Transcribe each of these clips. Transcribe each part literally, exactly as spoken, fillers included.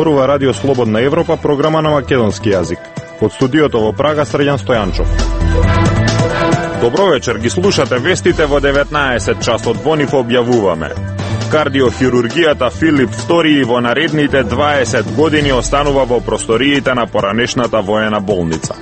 Зборува Радио Слободна Европа, програма на македонски јазик. Од студиото во Прага, Срđan Стојанчов. Добро вечер, ги слушате вестите во деветнаесет часот. Во нив објавуваме: кардиохирургијата Филип втори во наредните дваесет години останува во просториите на поранешната воена болница.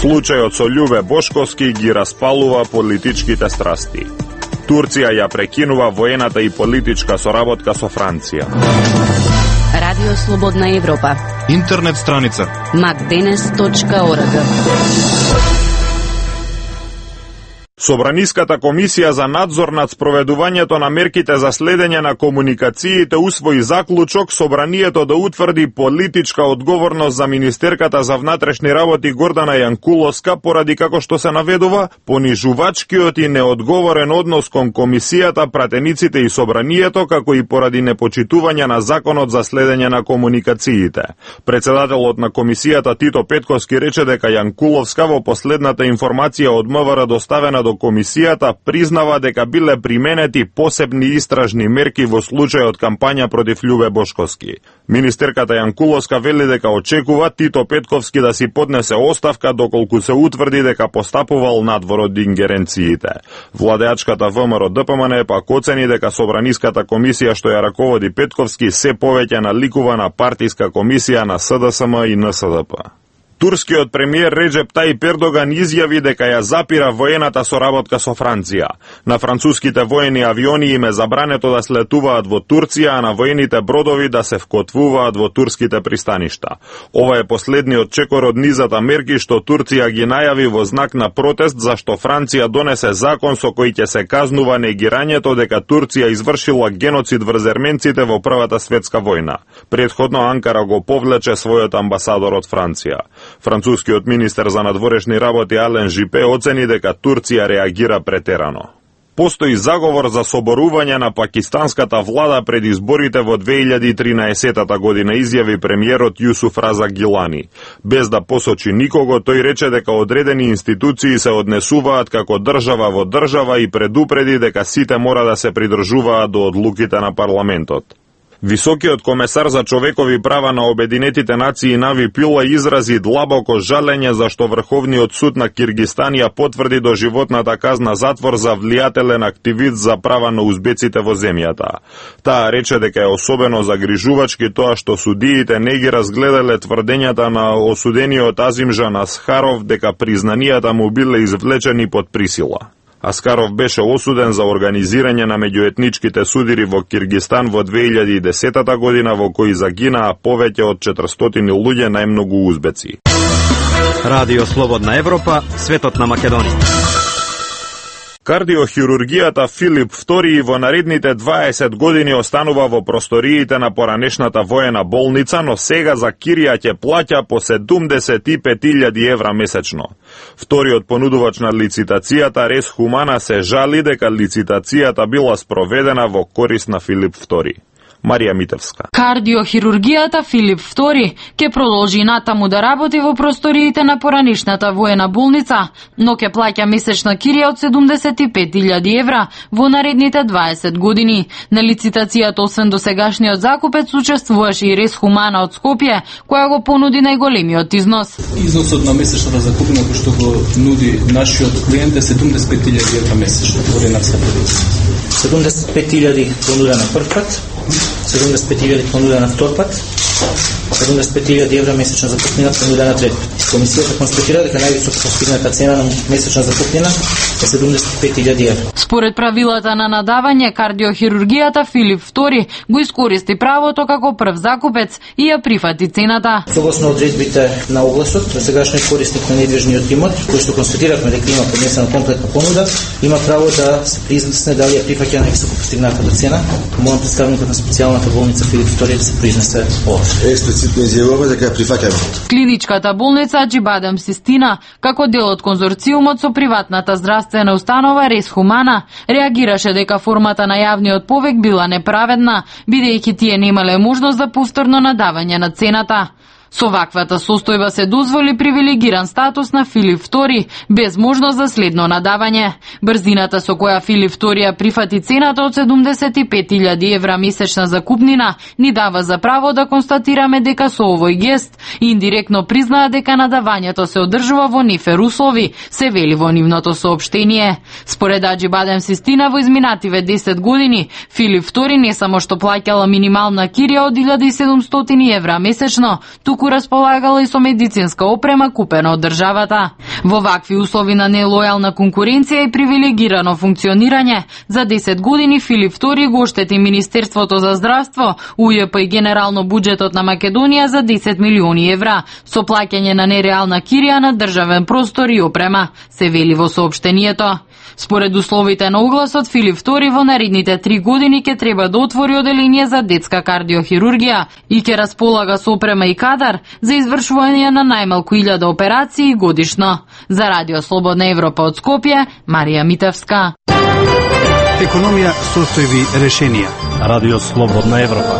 Случајот со Љубе Бошковски ги распалува политичките страсти. Турција ја прекинува воената и политичка соработка со Франција. Радио Слободна Европа. Интернет страница макденес точка орг. Собраниската комисија за надзор над спроведувањето на мерките за следење на комуникациите усвои заклучок собранието да утврди политичка одговорност за министерката за внатрешни работи Гордана Јанкуловска поради, како што се наведува, понижувачкиот и неодговорен однос кон комисијата, пратениците и собранието, како и поради непочитување на законот за следење на комуникациите. Председателот на комисијата Тито Петковски рече дека Јанкуловска во последната информација од МВР доставена до комисијата признава дека биле применети посебни истражни мерки во случајот кампања против Љубе Бошковски. Министерката Јанкуловска вели дека очекува Тито Петковски да си поднесе оставка доколку се утврди дека постапувал надвор од ингеренциите. Владеачката ВМРО Д П М Н пак оцени дека собраниската комисија што ја раководи Петковски се повеќе наликува на партиска комисија на С Д С М и Н С Д П. Турскиот премиер Реджеп Тајип Ердоган изјави дека ја запира воената соработка со Франција. На француските воени авиони им е забрането да слетуваат во Турција, а на воените бродови да се вкотвуваат во турските пристаништа. Ова е последниот чекор од низата мерки што Турција ги најави во знак на протест зашто Франција донесе закон со кој ќе се казнува негирањето дека Турција извршила геноцид врз ерменците во Првата светска војна. Претходно Анкара го повлече својот амбасадор од Франција. Францускиот министер за надворешни работи Ален Жипе оцени дека Турција реагира претерано. Постои заговор за соборување на пакистанската влада пред изборите во две илјади и тринаесета година, изјави премиерот Јусуф Разак Гилани. Без да посочи никого, тој рече дека одредени институции се однесуваат како држава во држава и предупреди дека сите мора да се придржуваат до одлуките на парламентот. Високиот комесар за човекови права на Обединетите нации Нави Пила изрази длабоко жалење зашто Врховниот суд на Киргистан ја потврди доживотната казна затвор за влијателен активист за права на узбеците во земјата. Таа рече дека е особено загрижувачки тоа што судиите не ги разгледале тврдењата на осудениот Азимжан Асхаров дека признанијата му биле извлечени под присила. Аскаров беше осуден за организирање на меѓуетничките судири во Киргистан во две илјади и десета година, во кои загинаа повеќе од четиристотини луѓе, најмногу узбеци. Радио Слободна Европа, светот на Македонија. Кардиохирургијата Филип втори во наредните дваесет години останува во просториите на поранешната воена болница, но сега за кирија ќе плаќа по седумдесет и пет илјади евра месечно. Вториот понудувач на лицитацијата, Рес Хумана, се жали дека лицитацијата била спроведена во корист на Филип втори. Марија Митевска. Кардиохирургијата Филип втори ќе продолжи натаму да работи во просториите на поранешната воена болница, но ќе плаќа месечна кирија од седумдесет и пет илјади евра во наредните дваесет години. На лицитацијата освен досегашниот закупец учествуваше и Рес Хумана од Скопје, која го понуди најголемиот износ. Износот на месечната закупнина кој што го нуди нашиот клиент е седумдесет и пет илјади евра месечно во ренатска продукција. седумдесет и пет илјади понуда на прв пат, седумдесет и пет илјади понуда на втор пат, седумдесет и пет илјади евра месечна закупнина понуда на трет пат. Комисијата констатира дека највисоко постигната цена на месечна закупнина е седумдесет и пет илјади евра. Според правилата на надавање, кардиохирургијата Филип втори го искористи правото како прв закупец и ја прифати цената. Согласно одредбите на огласот, досегашниот корисник на недвижниот имот, кој што констатиравме дека има поднесена комплетна понуда, има право да се признесне дали ја прифаќа највисоко постигнатата цена. Молам представникот на специјалната болница Филип втори да се признесе ова. Експлицитно изјавува дека ја прифаќаме. Клиничката болница Аџибадем Систина, како дел од конзорциумот со приватната здравствена установа Рес Хумана, реагираше дека формата на јавниот повик била неправедна, бидејќи тие немале можност за повторно надавање на цената. Со ваквата состојба се дозволи привилегиран статус на Филип втори, без можност за следно надавање. Брзината со која Филип втори ја прифати цената од седумдесет и пет илјади евра месечна закупнина ни дава за право да констатираме дека со овој гест индиректно признаа дека надавањето се одржува во нефер услови, се вели во нивното соопштение. Според Аџибадем Систина, во изминативе десет години Филип втори не само што плаќала минимална кирија од илјада и седумстотини евра месечно, туку располагала и со медицинска опрема купена од државата. Во вакви услови на нелојална конкуренција и привилегирано функционирање, за десет години Филип втори го оштети Министерството за здравство, У Ј П и генерално буџетот на Македонија за десет милиони евра, со плаќање на нереална кирија на државен простор и опрема, се вели во соопштението. Според условите на огласот, Филип втори во наредните три години ќе треба да отвори оделение за детска кардиохирургија и ќе располага со опрема и кадар за извршување на најмалку илјада операции годишно. За Радио Слободна Европа од Скопје, Марија Митевска. Економија, состојби, решенија. Радио Слободна Европа.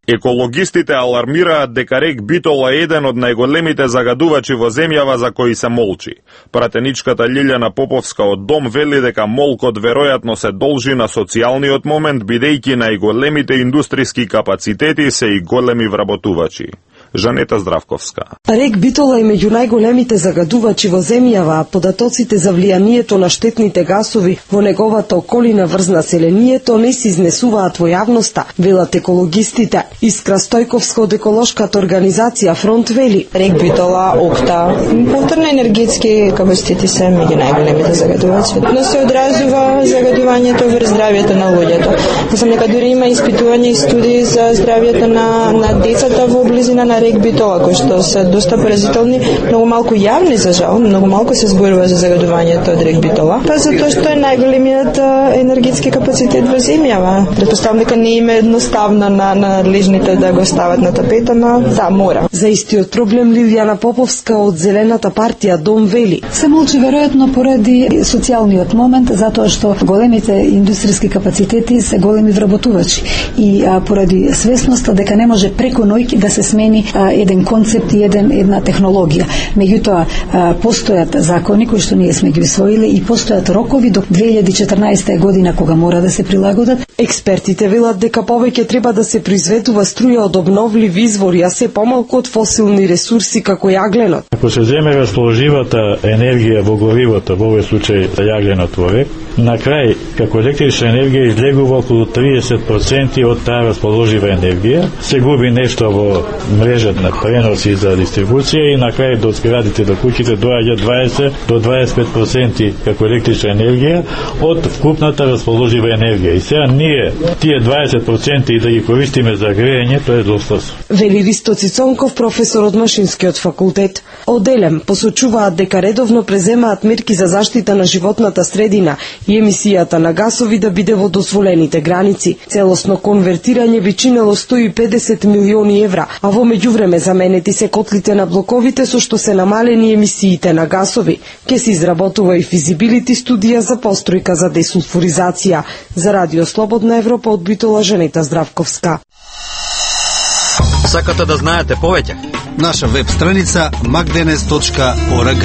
Екологистите алармираат дека рек Битола е еден од најголемите загадувачи во земјава за кои се молчи. Пратеничката Лилјана Поповска од Дом вели дека молкот веројатно се должи на социјалниот момент, бидејќи најголемите индустријски капацитети се и големи вработувачи. Жанета Здравковска. Рек Битола е меѓу најголемите загадувачи во земјава, а податоците за влијанието на штетните гасови во неговата околина врз населението не се изнесуваат во јавноста, велат екологистите. Искра Стојковска од еколошката организација Фронт вели: рек Битола, Окта, повторно енергетски капацитети се меѓу најголемите загадувачи. Но се одразува загадувањето врз здравјето на луѓето. Знам дека дури има испитувања и студии за здравјето на на децата во близина на рек Битола, кои што се доста поразителни, многу малку јавни за жал, многу малку се зборува за загадувањето од рек Битола, па затоа што е најголемиот енергетски капацитет во земјава. Претпоставам дека не им е едноставно на надлежните да го стават на тапета, но да, мора. За истиот проблем Лилјана Поповска од Зелената партија Дом вели: се молчи веројатно поради социјалниот момент, затоа што големите индустријски капацитети се големи вработувачи и а, поради свесноста дека не може преку ноќ да се смени а, еден концепт и еден, една технологија. Меѓутоа, а, постојат закони кои што ние сме ги усвоили и постојат рокови до две илјади и четрнаесета година кога мора да се прилагодат. Експертите велат дека повеќе треба да се произведува струја од обновливи извори, а се помалку од фосилни ресурси како јагленот. Ако се земе расположивата енергија во горивото, во овој случај јагленот во рек, на крај, како електрична енергија излегува околу триесет проценти од таа расположива енергија, се губи нешто во мрежата на преноси за дистрибуција и на крај до зградите, до куќите доаѓа дваесет до дваесет и пет проценти како електрична енергија од вкупната расположива енергија. И сега ние тие дваесет проценти да ги користиме за грејење, тоа е доста. Вели Ристо Цицонков, професор од Машинскиот факултет. Оделем посочуваат дека редовно преземаат мерки за заштита на животната средина и емисијата на гасови да биде во дозволените граници. Целосно конвертирање би чинело сто и педесет милиони евра, а во меѓувреме заменети се котлите на блоковите со што се намалени емисиите на гасови. Ке се изработува и физибилити студија за постројка за десулфуризација. За Радио Слободна Европа од Битола, Жанета Здравковска. Сакате да знаете повеќе? Наша веб страница макденес точка орг.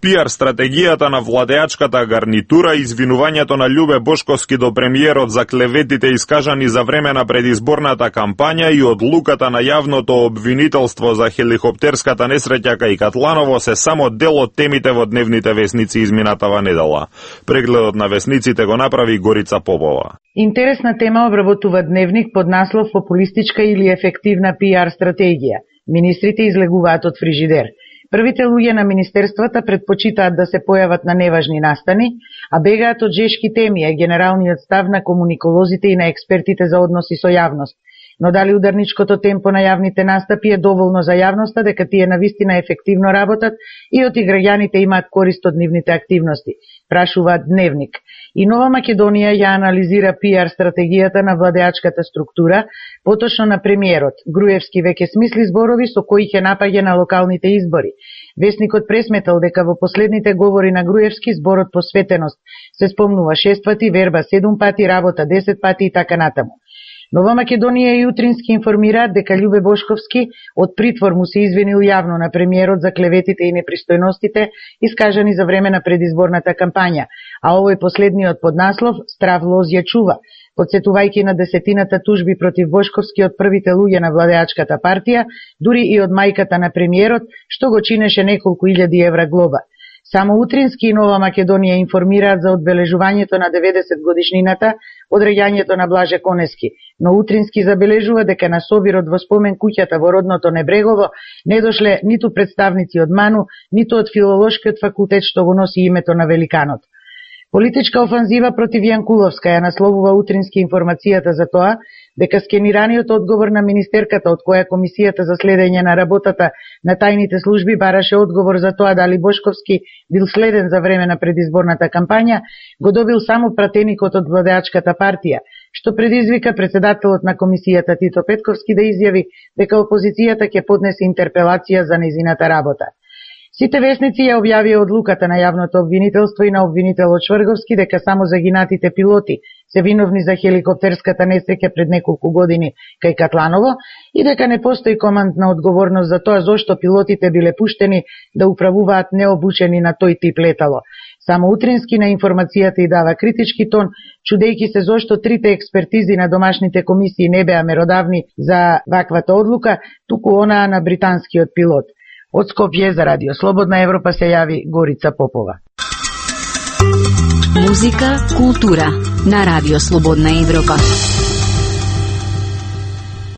Пиар стратегијата на владеачката гарнитура и извинувањето на Љубе Бошковски до премиерот за клеветите искажани за време на предизборната кампања и одлуката на јавното обвинителство за хеликоптерската несреќа кај Катланово се само дел од темите во дневните весници изминатава недела. Прегледот на весниците го направи Горица Попова. Интересна тема обработува Дневник под наслов "Популистичка или ефективна пиар стратегија". Министрите излегуваат од фрижидер. Првите луѓе на министерствата предпочитаат да се појават на неважни настани, а бегаат од жешки теми е генералниот став на комуниколозите и на експертите за односи со јавност. Но дали ударничкото темпо на јавните настапи е доволно за јавноста дека тие навистина ефективно работат и од граѓаните имаат корист од нивните активности? прашува Дневник. И Нова Македонија ја анализира пиар стратегијата на владеачката структура, поточно на премиерот. Груевски веќе смисли зборови со кои ќе напаѓа на локалните избори. Весникот пресметал дека во последните говори на Груевски зборот посветеност се спомнува шест пати, верба седум пати, работа десет пати и така натаму. Нова Македонија и Утрински информираат дека Љубе Бошковски од притвор му се извинил јавно на премиерот за клеветите и непристојностите искажани за време на предизборната кампања, а овој последниот поднаслов «Страв лоз ја чува», подсетувајќи на десетината тужби против Бошковски од првите луѓе на владеачката партија, дури и од мајката на премиерот, што го чинеше неколку илјади евра глоба. Само Утрински и Нова Македонија информираат за одбележувањето на деветдесет годишнината од реѓањето на Блаже Конески, но Утрински забележува дека на собирот во спомен куќата во родното Небрегово не дошле ниту представници од МАНУ, ниту од Филолошкиот факултет што го носи името на великанот. Политичка офанзива против Јанкуловска ја насловува Утрински информацијата за тоа дека скенираниот одговор на министерката од која Комисијата за следење на работата на тајните служби бараше одговор за тоа дали Бошковски бил следен за време на предизборната кампања, го добил само пратеникот од владеачката партија, што предизвика председателот на Комисијата Тито Петковски да изјави дека опозицијата ќе поднесе интерпелација за незината работа. Сите весници ја објавија одлуката на јавното обвинителство и на обвинителот Шврговски дека само загинатите пилоти се виновни за хеликоптерската несреќа пред неколку години кај Катланово и дека не постои командна одговорност за тоа зошто пилотите биле пуштени да управуваат необучени на тој тип летало. Само Утрински на информацијата и дава критички тон, чудејќи се зошто трите експертизи на домашните комисии не беа меродавни за ваквата одлука, туку онаа на британскиот пилот. Од Скопје за Радио Слободна Европа се јави Горица Попова. Музика, култура на Радио Слободна Европа.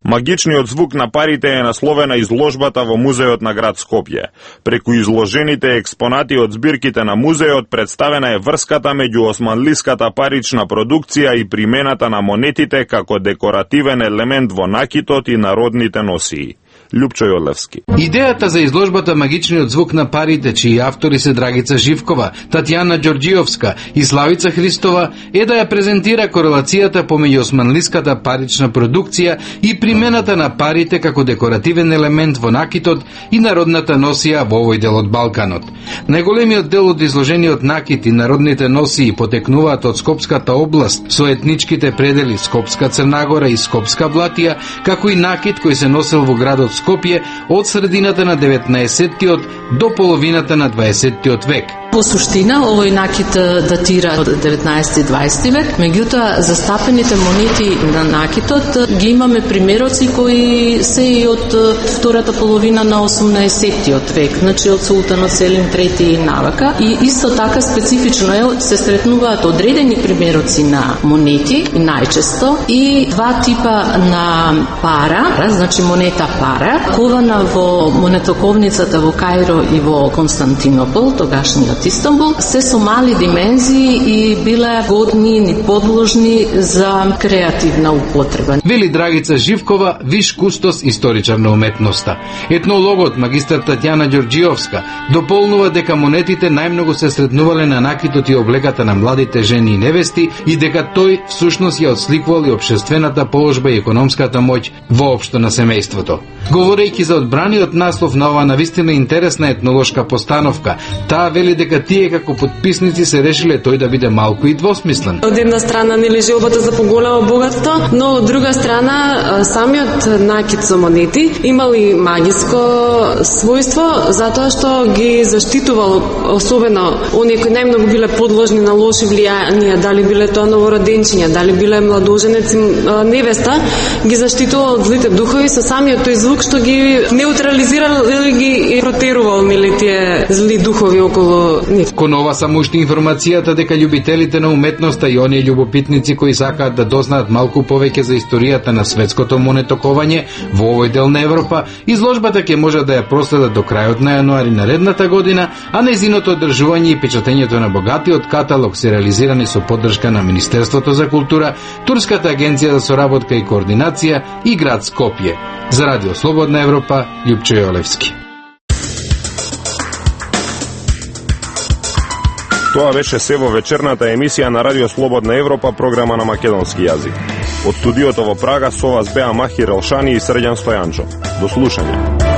Магичниот звук на парите е насловена изложбата во музеот на град Скопје. Преку изложените експонати од збирките на музеот представена е врската меѓу османлиската парична продукција и примената на монетите како декоративен елемент во накитот и народните носии. Лјупчо Јолевски. Идејата за изложбата Магичниот звук на парите, чии автори се Драгица Живкова, Татјана Ѓорѓиовска и Славица Христова, е да ја презентира корелацијата помеѓу османлиската парична продукција и примената на парите како декоративен елемент во накитот и народната носија во овој дел од Балканот. Најголемиот дел од изложениот накит и народните носии потекнуваат од Скопската област со етничките предели Скопска Црнагора и Скопска Блатија, како и накит кој се носел во градот Скопје од средината на деветнаесеттиот до половината на дваесеттиот век. По суштина, овој накит датира од деветнаесети и дваесети век, меѓутоа застапените монети на накитот ги имаме примероци кои се и од втората половина на осумнаесеттиот век, значи од султанот Селим трети и навака. И исто така специфично е, се сретнуваат одредени примероци на монети, најчесто, и два типа на пара, значи монета пара, кована во монетоковницата во Кајро и во Константинопол, тогашниот Истанбул, се со мали димензии и биле годни и подложни за креативна употреба. Вели Драгица Живкова, виш кустос историчар на уметноста. Етнологот магистар Татјана Ѓорѓиовска дополнува дека монетите најмногу се сретнувале на накитот и облеката на младите жени и невести и дека тој всушност ја отсликувал и општествената положба и економската моќ воопшто на семејството. Говорејќи за одбраниот наслов на оваа навистина интересна етнолошка постановка, таа вели дека тие како подписници се решиле тој да биде малку и двосмислен. Од една страна нели желбата за поголемо богатство, но од друга страна самиот накит со монети имал и магиско својство затоа што ги заштитувал особено оние кои најмногу биле подложни на лоши влијанија, дали биле тоа новороденчиња, дали биле младоженец невеста, ги заштитувал од злите духови со самиот тој звук што ги неутрализирал или ги протерувал нели тие зли духови околу нив. Кон ова само уште информацијата дека љубителите на уметноста и оние љубопитници кои сакаат да дознаат малку повеќе за историјата на светското монетокованје во овој дел на Европа, изложбата ќе може да ја проследат до крајот на јануари наредната година, а нејзиното одржување и печатењето на богатиот каталог се реализирани со поддршка на Министерството за култура, Турската агенција за соработка и координација и град Скопје. За Радио Слободна Европа, Лјупчо Јолевски. Тоа беше се во вечерната емисија на Радио Слободна Европа, програма на македонски јазик. Од студиото во Прага со вас беа Махир Елшани и Срđan Стојанчо. До слушање.